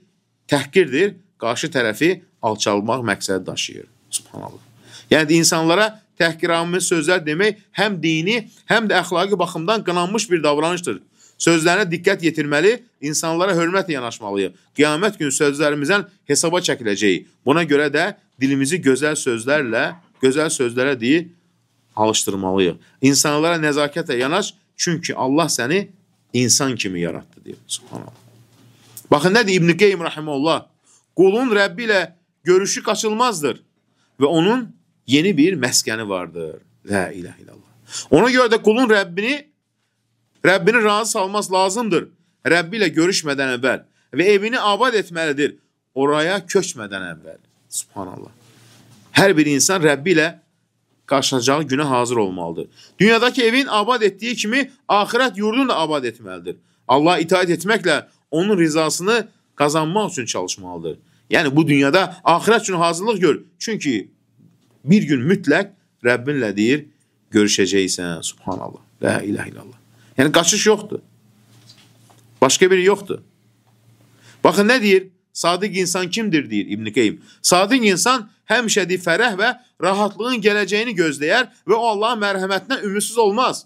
təhqirdir, qarşı tərəfi alçalmaq məqsədi daşıyır. Subhanallah. Yəni insanlara təhqiramiz sözlər demək həm dini, həm də əxlaqi baxımdan qınanmış bir davranışdır. Sözlərinə diqqət yetirməli, insanlara hörmətlə yanaşmalıyıq. Qiyamət günü sözlərimizdən hesaba çəkiləcəyik. Buna görə də dilimizi gözəl sözlərə deyir, alışdırmalıyıq. İnsanlara nəzakətlə yanaş, çünki Allah səni insan kimi yaratdı, deyir. Subhanallah. Baxın, nə deyir İbn-i Qeym rahimehullah? Qulun Rəbbi ilə görüşü qaçılmazdır və onun yeni bir məskəni vardır. La ilahe illallah. Ona görə də qulun Rəbbini razı salması lazımdır. Rəbbi ilə görüşmədən əvvəl və evini abad etməlidir. Oraya köçmədən əvvəl. Subhanallah. Hər bir insan Rəbbi ilə qarşılacağı günə hazır olmalıdır. Dünyadakı evin abad etdiyi kimi axirət yurdunu da abad etməlidir. Allah'a itaat etməklə onun rizasını qazanmaq üçün çalışmalıdır. Yəni bu dünyada axirət üçün hazırlıq gör. Çünki bir gün mütləq Rəbbinlə deyir, görüşəcəksən. Subhanallah. La ilahe illallah. Yəni qaçış yoxdur. Başqa biri yoxdur. Baxın nə deyir? Sadiq insan kimdir deyir İbn-i Qeym. Sadiq insan həmişədi fərəh və rahatlığın gələcəyini gözləyər və o Allahın mərhəmətindən ümidsiz olmaz.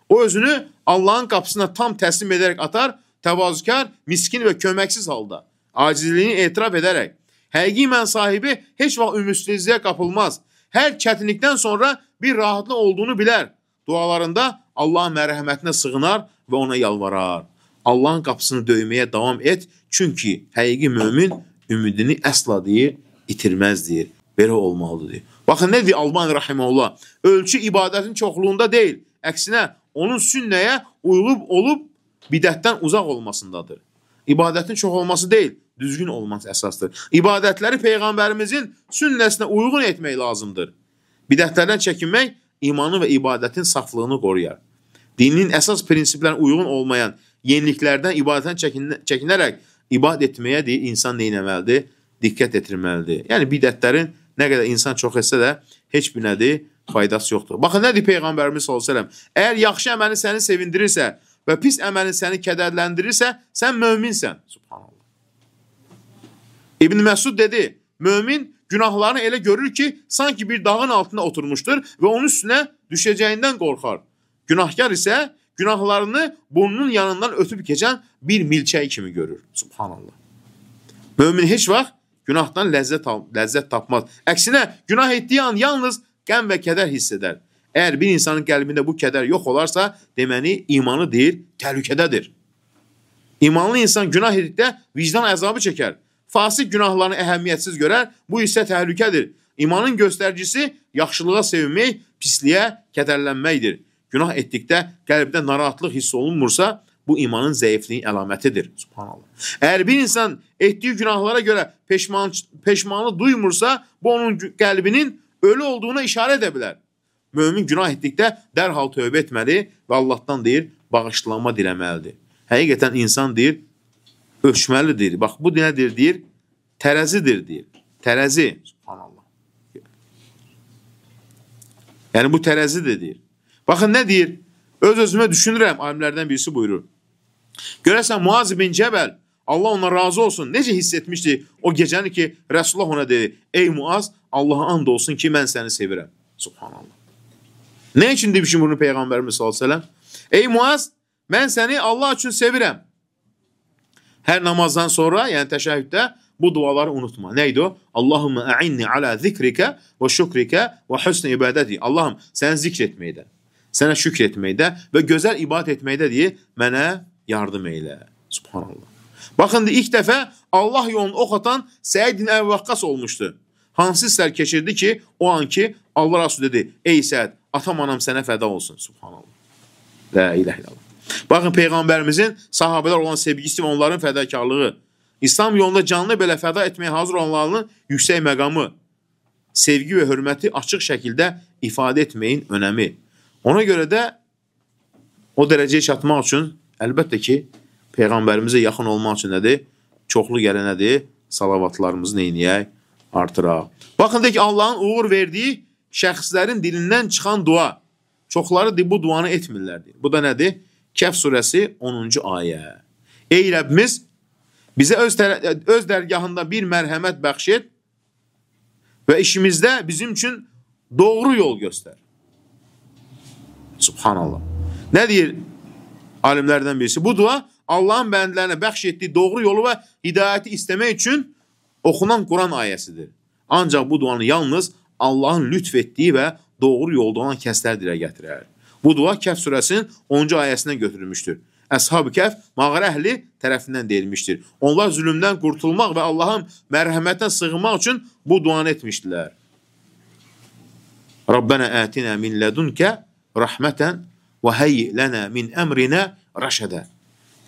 O özünü Allahın qapısına tam təslim edərək atar, təvazükar, miskin və köməksiz halda, acizliyini etiraf edərək. Həqiqi iman sahibi heç vaxt ümidsizliyə qapılmaz. Hər çətinlikdən sonra bir rahatlıq olduğunu bilər. Dualarında Allahın mərhəmətinə sığınar və ona yalvarar. Allahın qapısını döyməyə davam et, çünki həqiqi mömin ümidini əsla deyir, itirməz deyir. Belə olmalıdır deyir. Baxın, nə deyir Albani rahimehullah? Ölçü ibadətin çoxluğunda deyil, əksinə onun sünnəyə uyğun olub bidətdən uzaq olmasındadır. İbadətin çox olması deyil, düzgün olması əsasdır. İbadətləri Peyğəmbərimizin sünnəsinə uyğun etmək lazımdır. Bidətlərdən çəkinmək imanı və ibadətin saflığını qoruyar. Dinin əsas prinsiplərinə uyğun olmayan yeniliklərdən ibadətdən çəkinərək ibadət etməyə deyir, insan neynəməlidir? Diqqət etirməlidir. Yəni bidətlərin nə qədər insan çox etsə də heç bir nədir? Faydası yoxdur. Baxın, nə deyir Peyğəmbərimiz sallallahu əleyhi və səlləm? Əgər yaxşı əməlin səni sevindirirsə və pis əməlin səni kədərləndirirsə, sən möminsən. Subhanallah. İbn Məsud dedi, mömin günahlarını elə görür ki, sanki bir dağın altında oturmuşdur və onun üstünə düşəcəyindən qorxar. Günahkar isə günahlarını burnunun yanından ötüb keçən bir milçək kimi görür. Subhanallah. Mömin heç vaxt günahdan ləzzət tapmaz. Əksinə, günah etdiyi an yalnız qəm və kədər hiss edər. Əgər bir insanın qəlbində bu kədər yox olarsa, deməli, imanı deyir, təhlükədədir. İmanlı insan günah etdikdə vicdan əzabı çəkər. Fasik günahlarını əhəmiyyətsiz görər, bu isə təhlükədir. İmanın göstəricisi yaxşılığa sevinmək, pisliyə kədərlənməkdir. Günah etdikdə qəlbdə narahatlıq hiss olunmursa, bu imanın zəifliyin əlamətidir. Subhanallah. Əgər bir insan etdiyi günahlara görə peşmanlıq duymursa, bu onun qəlbinin ölü olduğuna işarə edə bilər. Mömin günah etdikdə dərhal tövbə etməli və Allahdan deyir, bağışlanma diləməlidir. Həqiqətən insan deyir, ölçməlidir. Bax, bu nədir deyir? Tərəzidir deyir. Tərəzi. Subhanallah. Yəni bu tərəzidir deyir. Baxın, nə deyir? Öz-özümə düşünürəm, alimlərdən birisi buyurur. Görəsən, Muaz bin Cəbəl, Allah ona razı olsun, necə hiss etmişdi o gecəni ki, Resulullah ona dedi, ey Muaz, Allah'a and olsun ki, mən səni sevirəm. Subhanallah. Nə üçün demişim bunu Peyğəmbərimiz sallallahu əleyhi və səlləm? Ey Muaz, mən səni Allah üçün sevirəm. Hər namazdan sonra, yəni təşəhhüddə bu duaları unutma. Neydi o? Allahümme a'inni ala zikrikə və şükrikə və husn ibadəti. Allahım, səni zikr etməkdə, sənə şükr etməkdə və gözəl ibadət etməkdə deyə mənə yardım eylə. Subhanallah. Baxın, ilk dəfə Allah yolunu ox atan Səid ibn Əbi Vaqqas olmuşdu. Hansı hisslər keçirdi ki, o an ki, Allah Rasulü dedi, ey Səid, atam anam sənə fəda olsun. Subhanallah. La ilahe illallah. Baxın, Peyğəmbərimizin sahabələr olan sevgisi və onların fədakarlığı, İslam yolunda canlı belə fəda etməyə hazır olanlarının yüksək məqamı, sevgi və hörməti açıq şəkildə ifadə etməyin önəmi. Ona görə də o dərəcəyə çatmaq üçün, əlbəttə ki, Peyğəmbərimizə yaxın olmaq üçün nədir? Çoxlu gələn nədir? Salavatlarımızı neyniyək? Artıraq. Baxın, deyək ki, Allahın uğur verdiyi şəxslərin dilindən çıxan dua. Çoxları bu duanı etmirlər. Bu da nədir? Kəhf surəsi 10-cu ayə. Ey Rəbbimiz, bizə öz dərgahında bir mərhəmət bəxş et və işimizdə bizim üçün doğru yol göstər. Subhanallah. Nə deyir alimlərdən birisi? Bu dua Allahın bəndələrinə bəxş etdiyi doğru yolu və hidayəti istəmək üçün oxunan Quran ayəsidir. Ancaq bu duanı yalnız Allahın lütf etdiyi və doğru yolda olan kəslər dilə gətirər. Bu dua Kəhf surəsinin 10-cu ayəsindən götürülmüşdür. Əshab-ı Kəhf mağara əhli tərəfindən deyilmişdir. Onlar zülmdən qurtulmaq və Allahın mərhəmətindən sığınmaq üçün bu duanı etmişdilər. Rabbənə ətinə min lədunkə rəhmətən və heyyi lənə min əmrinə rəşədə.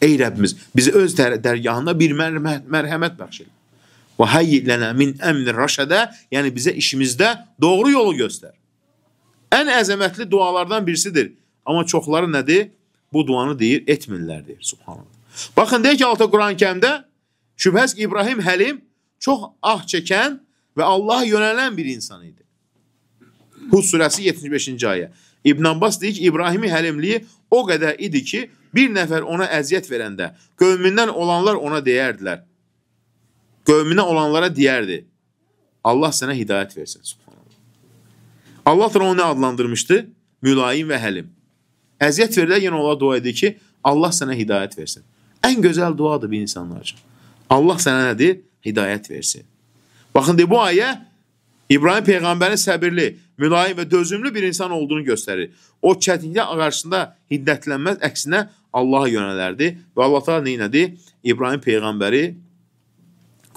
Ey Rəbbimiz, bizi öz dərgahında bir mərhəmət bəxş et. Və heyyi lənə min əmrin rəşədə, yəni bizə işimizdə doğru yolu göstər. Ən əzəmətli dualardan birisidir. Amma çoxları nədir? Bu duanı deyir, etmirlər deyir. Subhanallah. Baxın, deyək ki, altı Quran-ı Kərimdə şübhəsiz ki, İbrahim Həlim çox ah çəkən və Allaha yönələn bir insan idi. Hud surəsi 75-ci ayə. İbn Abbas deyir ki, İbrahimi həlimliyi o qədər idi ki, bir nəfər ona əziyyət verəndə qövmindən olanlar ona deyərdilər. Qövminə olanlara deyərdi. Allah sənə hidayət versin. Subhanallah. Allah da onu adlandırmışdı? Mülayim və həlim. Əziyyət verirlər, yenə ola dua edir ki, Allah sənə hidayət versin. Ən gözəl duadır bir insanlar üçün. Allah sənə nədir? Hidayət versin. Baxın, bu ayə İbrahim Peyğəmbərin səbirli, mülayim və dözümlü bir insan olduğunu göstərir. O çətinliklər qarşısında hiddətlənməz, əksinə Allaha yönələrdi. Və Allah da neynədi? İbrahim Peyğəmbəri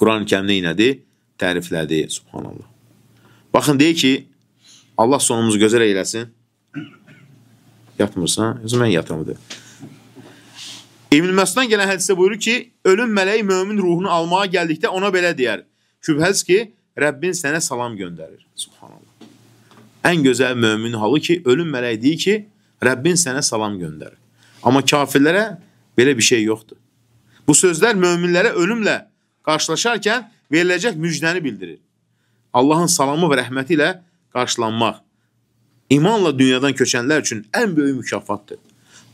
Quran-ı Kərimdə neynədi? Təriflədi. Subhanallah. Baxın, deyir ki, Allah sonumuzu gözəl eyləsin. Yatmırsan, mən yatamadı. İbn Məsuddan gələn hədisdə buyurur ki, ölüm mələyi mömin ruhunu almağa gəldikdə ona belə deyər. Şübhəsiz ki, Rəbbin sənə salam göndərir. Subhanallah. Ən gözəl mömin halı ki, ölüm mələyi deyir ki, Rəbbin sənə salam göndərir. Amma kafirlərə belə bir şey yoxdur. Bu sözlər möminlərə ölümlə qarşılaşarkən veriləcək müjdəni bildirir. Allahın salamı və rəhməti ilə qarşılanmaq İmanla dünyadan köçənlər üçün ən böyük mükafatdır.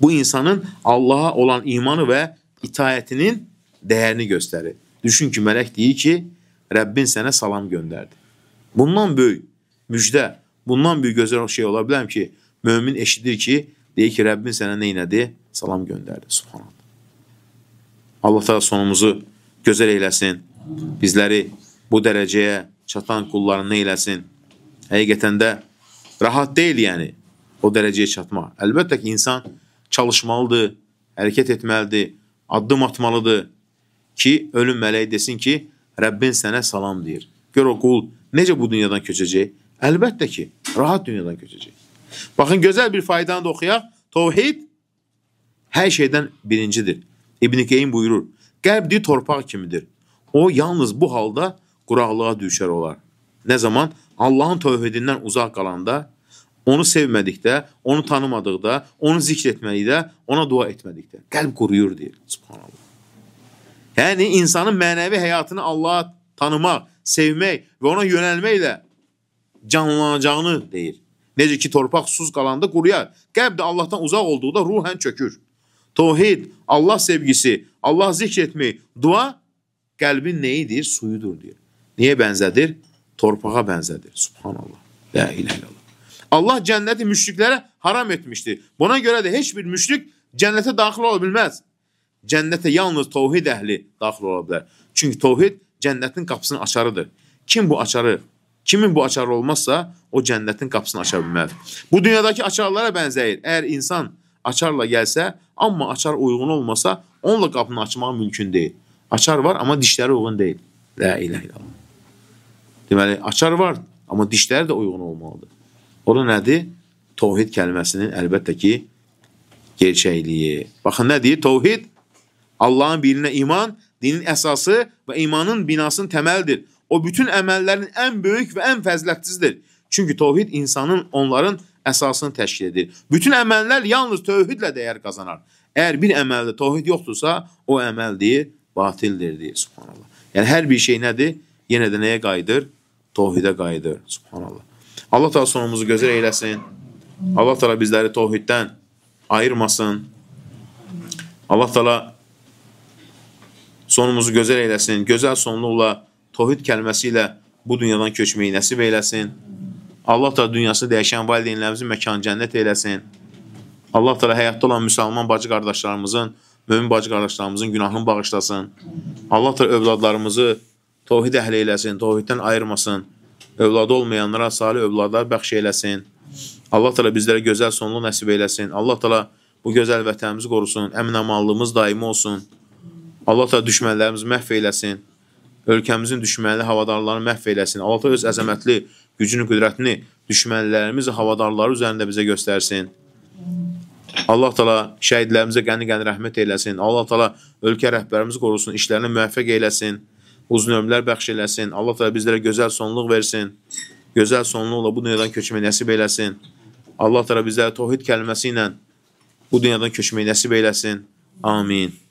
Bu insanın Allaha olan imanı və itaətinin dəyərini göstərir. Düşün ki, mələk deyir ki, Rəbbin sənə salam göndərdi. Bundan böyük müjdə, bundan böyük gözəl şey ola biləm ki, mömin eşidir ki, deyir ki, Rəbbin sənə neynədi? Salam göndərdi. Subhanallah. Allah da sonumuzu gözəl eyləsin. Bizləri bu dərəcəyə çatan qullarını eyləsin. Həqiqətən də rahat deyil yəni o dərəcəyə çatmaq. Əlbəttə ki, insan çalışmalıdır, hərəkət etməlidir, addım atmalıdır ki, ölüm mələyi desin ki, Rəbbin sənə salam deyir. Gör o qul necə bu dünyadan köçəcək? Əlbəttə ki, rahat dünyadan köçəcək. Baxın, gözəl bir faydanı da oxuyaq. Təvhid hər şeydən birincidir. İbn-i Qeym buyurur, qəlb deyir, torpaq kimidir. O, yalnız bu halda quraqlığa düşər olar. Nə zaman? Allahın tövhidindən uzaq qalanda, onu sevmədikdə, onu tanımadıqda, onu zikr etmədikdə, ona dua etmədikdə. Qəlb quruyur deyir. Subhanallah. Yəni, insanın mənəvi həyatını Allah'a tanımaq, sevmək və ona yönəlməklə canlanacağını deyir. Necə ki, torpaq susuz qalanda quruyar. Qəlb də Allahdan uzaq olduğunda ruhən çökür. Tövhid, Allah sevgisi, Allah zikr etmək, dua qəlbin neyidir? Suyudur deyir. Niyə bənzədir? Torpağa bənzədir. Subhanallah. La ilahe illallah. Allah cənnəti müşriklərə haram etmişdir. Buna görə də heç bir müşrik cənnətə daxil ola bilməz. Cənnətə yalnız təvhid əhli daxil ola bilər. Çünki təvhid cənnətin qapısının açarıdır. Kimin bu açarı olmazsa, o cənnətin qapısını aça bilməz. Bu dünyadakı açarlara bənzəyir. Əgər insan açarla gəlsə, amma açar uyğun olmasa, onunla qapını açmaq mümkün deyil. Açar var, amma dişləri uyğun deyil. La ilahe illallah. Deməli, açar var, amma dişləri də uyğun olmalıdır. O da nədir? Təvhid kəlməsinin əlbəttə ki, gerçəkliyi. Baxın, nə deyir? Təvhid, Allahın birinə iman, dinin əsası və imanın binasının təməlidir. O, bütün əməllərin ən böyük və ən fəzilətlisidir. Çünki təvhid insanın onların əsasını təşkil edir. Bütün əməllər yalnız təvhidlə dəyər qazanar. Əgər bir əməldə təvhid yoxdursa, o əməl deyir, batildir, deyir. Subhanallah. Yəni, hər bir şey nədir? Yenə də nəyə qayıdır? Təvhidə qayıdır. Subhanallah. Allah da sonumuzu gözəl eyləsin. Allah da bizləri təvhiddən ayırmasın. Allah da sonumuzu gözəl eyləsin. Gözəl sonluqla təvhid kəlməsi ilə bu dünyadan köçməyi nəsib eyləsin. Allah Teala dünyası dəyişən valideynlərimizin məkanı cənnət eyləsin. Allah Teala həyatda olan müsəlman bacı qardaşlarımızın, mömin bacı qardaşlarımızın günahını bağışlasın. Allah Teala övladlarımızı tövhid əhli eyləsin, tövhiddən ayırmasın. Övladı olmayanlara salih övladlar bəxş eyləsin. Allah Teala bizlərə gözəl sonluq nəsib eyləsin. Allah Teala bu gözəl vətənimizi qorusun, əmin-amallığımız daimi olsun. Allah Teala düşmənlərimizi məhv eyləsin. Ölkəmizin düşmənli havadarlarını məhv eyləsin. Allah Teala öz əzəmətli gücünü, qüdrətini düşmənlərimiz havadarları üzərində bizə göstərsin. Allah Teala şəhidlərimizə qəni-qəni rəhmət eyləsin. Allah Teala ölkə rəhbərimizi qorusun, işlərini müvəffəq eyləsin. Uzun ömürlər bəxş eləsin. Allah Teala bizlərə gözəl sonluq versin. Gözəl sonluqla bu dünyadan köçməyi nəsib eləsin. Allah Teala bizlərə tövhid kəlməsi ilə bu dünyadan köçməyi nəsib eləsin. Amin.